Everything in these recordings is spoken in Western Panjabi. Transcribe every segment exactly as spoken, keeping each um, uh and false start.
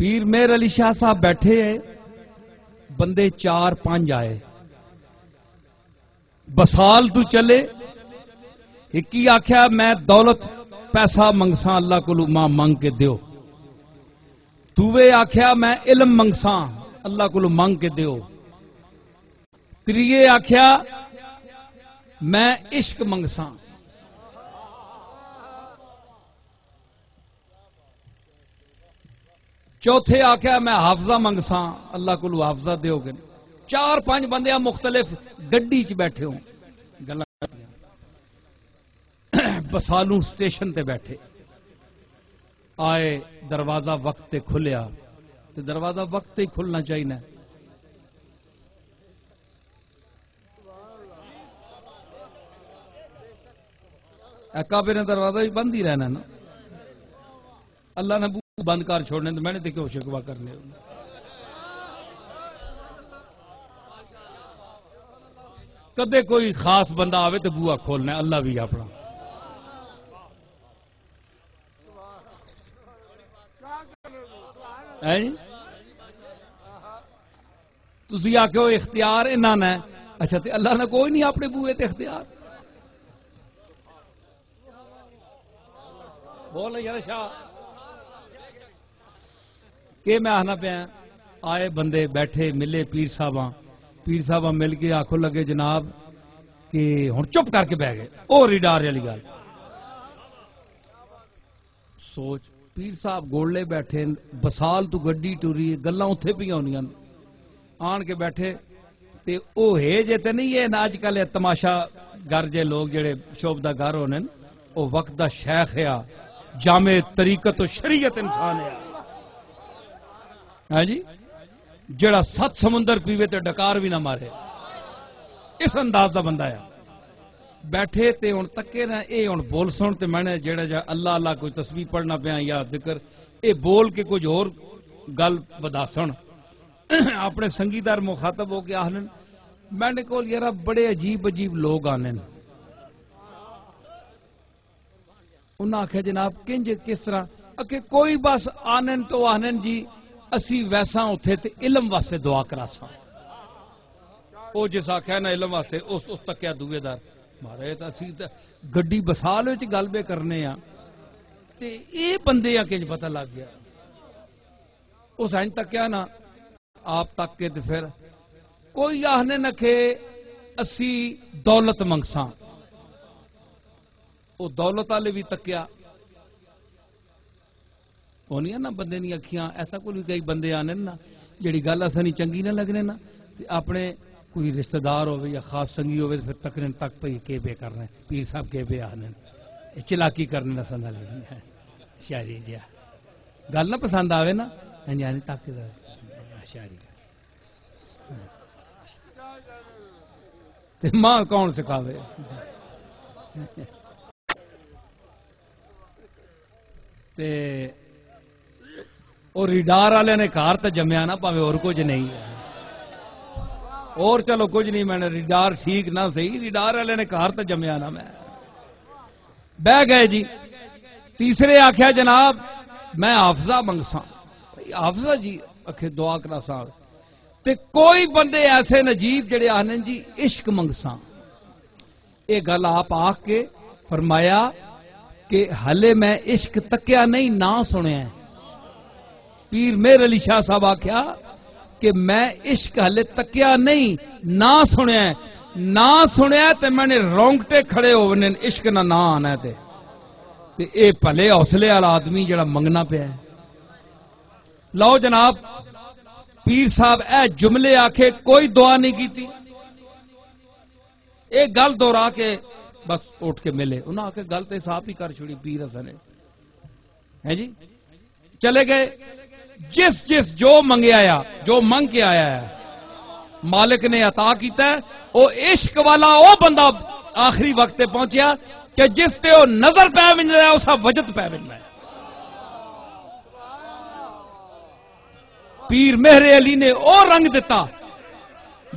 پیر مہر علی شاہ صاحب بیٹھے ہے، بندے چار پنج آئے، بسال تو چلے۔ ایک ہی آکھیا، "میں دولت پیسہ منگساں، اللہ کولوں ماں منگ کے دیو۔" دوے آکھیا، "میں علم منگساں، اللہ کولوں منگ کے دیو۔" تریے آکھیا، "میں عشق منگساں۔" چوتھے آکھیا، "میں حافظہ منگساں، اللہ کولوں حافظہ دیو گے۔" چار پنج بندے آ مختلف گڈی چ بیٹھے ہو، گلاں کیتیاں۔ بسالوں سٹیشن تے بیٹھے آئے، دروازہ وقت تے کھلیا، تے دروازہ وقت تے ہی کھلنا چاہیے۔ اے کعبے نے دروازہ بھی بند ہی رہنا نا۔ اللہ نے بو بند کر چھوڑنے، تو میں نے تے کیوں شکوا کرنے؟ کدے کوئی خاص بندہ آوے تو بوا کھولنا ہے، اللہ بھی اپنا۔ ہیں جی؟ تسی آکھو اختیار انہاں نے، اچھا، تے اللہ نے کوئی نہیں اپنے بوئے تے اختیار؟ بول یار شاہ۔ کہ میں آخنا پیا، آئے بندے بیٹھے ملے پیر صاحباں، پیر صاحباں مل کے آکھو لگے جناب کہ ہن چپ کر کے بہ گئے۔ او ریڈار والی گل۔ سوچ، پیر صاحب گولڑے بیٹھے، بسال تو گڈی ٹری، گلاں اتھے پیاں ہونیاں۔ آن کے بیٹھے تے او ہے جے تے نہیں، اے نا اج کل اے تماشا گر جے لوگ جڑے شعبدہ گر ہونے نا، او وقت دا شیخ ہے، جامع طریقت و شریعت انسان ہے۔ ہاں جی، جڑا ست سمندر پیوے تے ڈکار بھی نہ مارے، اس انداز دا بندہ ہے۔ بیٹھے تے ہن تکے نہ، اے ہن بول سن تے میں نے جڑا جا اللہ اللہ کوئی تسبیح پڑھنا پیا یا ذکر، اے بول کے کچھ ہور گل وداسن۔ اپنے سنگیدار مخاطب ہو کے آہنن، میں نے کول یارا بڑے عجیب عجیب لوگ آنن۔ انہاں آکھیا، "جناب، کنج کس طرح؟" اکھے، "کوئی بس آنن تو آنن جی، اسی ویساں اتھے تے علم واسطے دعا کراساں۔" او جس آکھیا نا علم واسطے، اس، اس تکیا دوئے دار، "مہاراج، تے اسی تے گڈی بسال وچ گل بے کرنے آ، تے اے بندے آ کنج پتہ لگ گیا؟" اس انج تکیا نا، آپ تک کے تے پھر کوئی آہنے نہ کہ اسی دولت منگساں۔ او دولت والے بھی تکیا۔ او نہیں نا بندے دی اکھیاں، ایسا کوئی کئی بندے آنے نا، جڑی گل اساں نی چنگی نہ لگنے نا، تے اپنے کوئی رشتہ دار ہوے یا خاص سنگی ہوے تے پھر تکنے تک پئی کے پے کرنا ہے، پیر صاحب کے پے آنے۔ اے چلاکی کرنے نہ سندا لگنے ہے۔ شاعری جیا۔ گل نہ پسند آوے نا، ہاں جی، ہاں جی، تک ذرا۔ شاعری۔ تے ماں کون سکھاوے؟ تے او ریڈار والے نے گھر تے جمیا نا، پاوے اور کچھ نہیں ہے۔ اور چلو کچھ نہیں، میں نے ریڈار ٹھیک نہ صحیح، ریڈار والے نے گھر تے جمیا نا میں۔ بہ گئے جی۔ تیسرے آکھیا، "جناب، میں حافظہ منگساں۔" بھئی حافظہ جی، اکھے دعا کرا صاحب۔ تے کوئی بندے ایسے نجیب جڑے آہنے جی، "عشق منگساں۔" اے گل آپ آکھ کے فرمایا کہ ہلے میں عشق تکیا نہیں، نہ سنیا ہے۔ پیر مہر علی شاہ صاحب آکھیا کہ میں عشق ہلے تکیا نہیں، نہ سنیا ہے۔ نہ سنیا تے میں نے رونگٹے کھڑے ہونے، عشق نہ، نہ آنا ہے تے۔ تے اے بھلے حوصلے والا آدمی جڑا منگنا پیا ہے۔ لو جناب، پیر صاحب اے جملے آکھے، کوئی دعا نہیں کیتی۔ ایک گل دہرا کے بس اٹھ کے ملے۔ انہاں آکھے، "گل تے صاحب ہی کر چھوڑی پیر حسن نے۔" ہیں جی؟ چلے گئے۔ جس جس جو منگیا آیا، جو منگ کے آیا ہے، مالک نے عطا کیتا ہے۔ او عشق والا او بندہ آخری وقت تے پہنچیا کہ جس تے او نظر پہ ونجدا ہے، اسا وجد پہ ونجدا ہے۔ پیر مہر علی نے او رنگ دتا،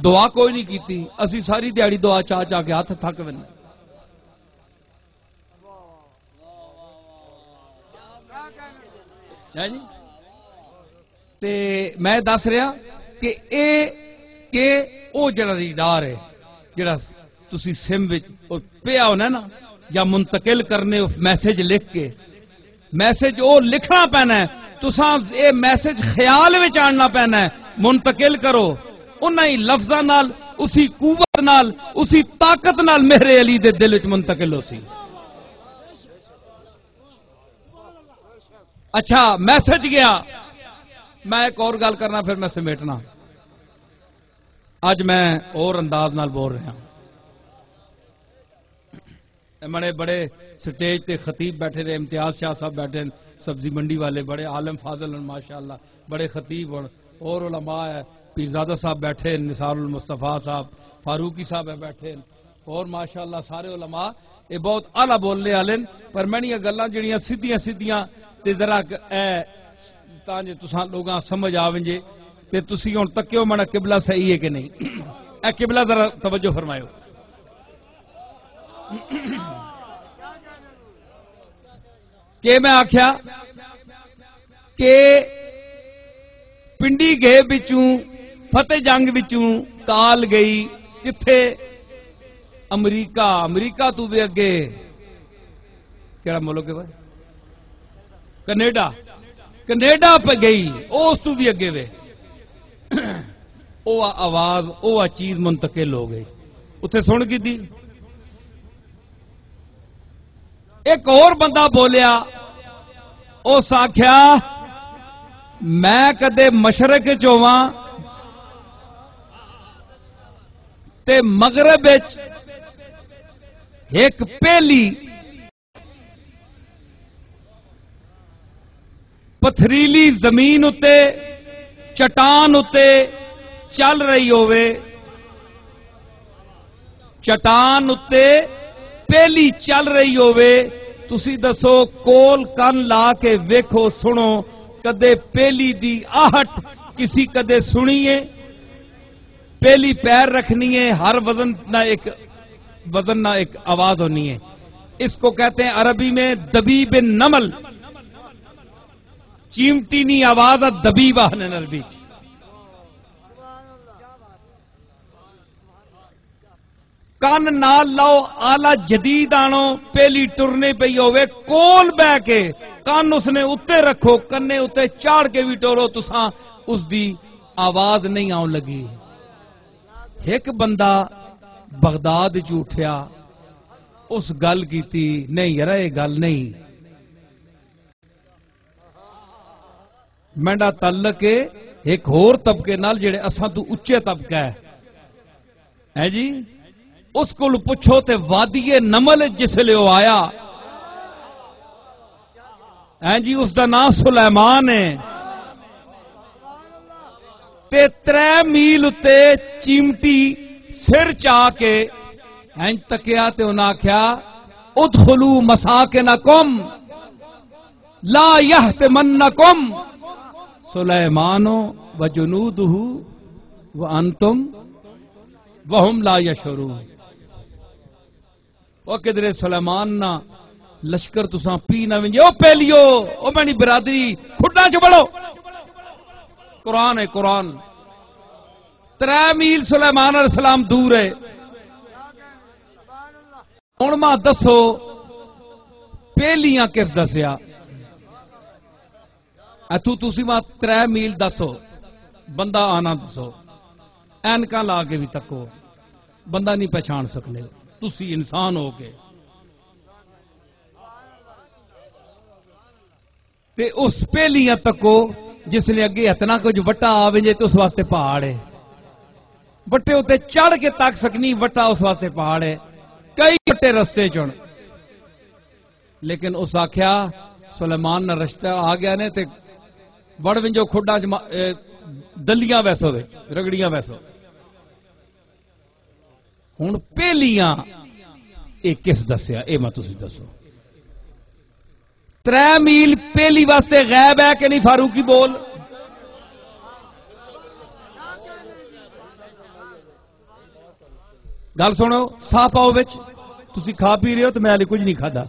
دعا کوئی نہیں کیتی۔ اسی ساری دیہاڑی دعا چا چا کے ہاتھ تھک ویندے۔ ہے جی؟ تے میں دس رہا کہ اے کہ او جڑا ریڈار ہے، جڑا تسی سم وچ او پیا ہونا نا، یا منتقل کرنے او میسج لکھ کے، میسج او لکھنا پینا ہے۔ تساں اے میسج خیال وچ آننا پینا ہے، منتقل کرو انہاں ہی لفظاں نال، اسی قوت نال، اسی طاقت نال مہر علی دے دل وچ منتقل ہو سی۔ اچھا، میسج گیا۔ میں ایک اور گل کرنا، پھر میں سمیٹنا۔ اج میں اور انداز نال بول رہا۔ اے بڑے بڑے سٹیج تے خطیب بیٹھے نے، امتیاز شاہ صاحب بیٹھے نے، سبزی منڈی والے، بڑے عالم فاضل ہیں ماشاءاللہ، بڑے خطیب ہیں، اور علماء ہے، پیرزادہ صاحب بیٹھے ہیں، نثار المصطفیٰ صاحب، فاروقی صاحب ہے بیٹھے ہیں، اور ماشاءاللہ سارے علماء، یہ بہت اعلیٰ بولنے والے ہیں۔ پر میں یہ گلاں جڑیاں سیدھیاں سیدھیاں تے ذرا ک-، اے تاں جے تساں لوگاں سمجھ آ ونجے تے تسی ہن تکیو، منا قبلہ صحیح ہے کہ نہیں؟ اے قبلہ، ذرا توجہ فرمایو۔ کہ میں آکھیا کہ پنڈی گئے بچوں، فتح جنگ بچوں تال گئی کتھے؟ امریکہ۔ امریکہ تو بھی اگے کیڑا ملک ہے بھائی؟ کینیڈا۔ کینیڈا پہ گئی، او اس تو بھی اگے وے۔ او آواز، او آ چیز منتقل ہو گئی۔ اتھے سن کی دی۔ ایک اور بندہ بولیا، اس آکھیا، "میں کدے مشرق چ ہوواں تے مغرب وچ ایک پہلی پتھریلی زمین اتے، چٹان اتے چل رہی ہووے، چٹان اتے پہلی چل رہی ہووے، تسی دسو، کول کن لا کے ویکھو، سنو، کدے پہلی دی آہٹ کسی کدے سنی ہے؟ پہلی پیر رکھنی ہے، ہر وزن نہ ایک، وزن نہ ایک آواز ہونی ہے۔ اس کو کہتے ہیں عربی میں دبیب نمل، چیمٹی نی آواز آ، دبیب آہنے عربی چ۔ کن نال لاؤ، آلہ جدید آنو، پہلی ٹرنے پئی ہووے، کول بہ کے کن اس نے اتے رکھو، کنے اتے چاڑھ کے بھی ٹورو، تساں اس دی آواز نہیں آن لگی۔ ایک بندہ بغداد چ اٹھیا، اس گل کیتی، "نہیں یار، یہ گل نہیں۔" میرا تعلق ہے ایک ہور طبقے نال، جڑے اساں تو اچے طبقہ ہے، ہے جی؟ اس کول پچھو تے وادی نمل جس لے او آیا، ہیں جی، اس دا نام سلیمان ہے۔ تے ترے میل اتے چیمٹی سر چا کے ہیں تکیا تے انہاں آکھیا، "ادخلوا مساکنکم لا یحطمنکم سلیمان و جنودہ وانتم وہم لا یشعرون۔" او کدرے سلیمان نا لشکر تساں پی نہ ونجے۔ او پہلیو، او میری برادری، کھڈاں چ وڑو۔ قرآن ہے، قرآن۔ ترے میل سلیمان علیہ السلام دور ہے۔ ہن ماں دسو، پہلیاں کس دسیا؟ اتھوں تسی ماں ترے میل دسو، بندہ آنا دسو، اینکاں لا کے بھی تکو، بندہ نہیں پہچان سکنے۔ تسی انسان ہو کے تے اس پہلیاں تکو، جس نے اگے اتنا کچھ وٹا آ ونجے تے اس واسطے پہاڑ ہے۔ وٹے اتے چڑھ کے تک سکنی، وٹا اس واسطے پہاڑ ہے۔ کئی وٹے رستے چن۔ لیکن اس آکھیا، "سلیمان نہ رشتہ آ گیا نے تے وڑ ونجو کھڈاں چ ما-، اے، دلیاں ویسو وچ، رگڑیاں ویسو۔" ہن پہلیاں اے کس دسیا؟ اے میں تسی دسو۔ ترے میل پہلی واسطے غیب ہے کہ نہیں؟ فاروقی بول۔ گل سنو، ساہ پاؤ وچ، تسی کھا پی رہے ہو تو میں ہلے کچھ نہیں کھادا۔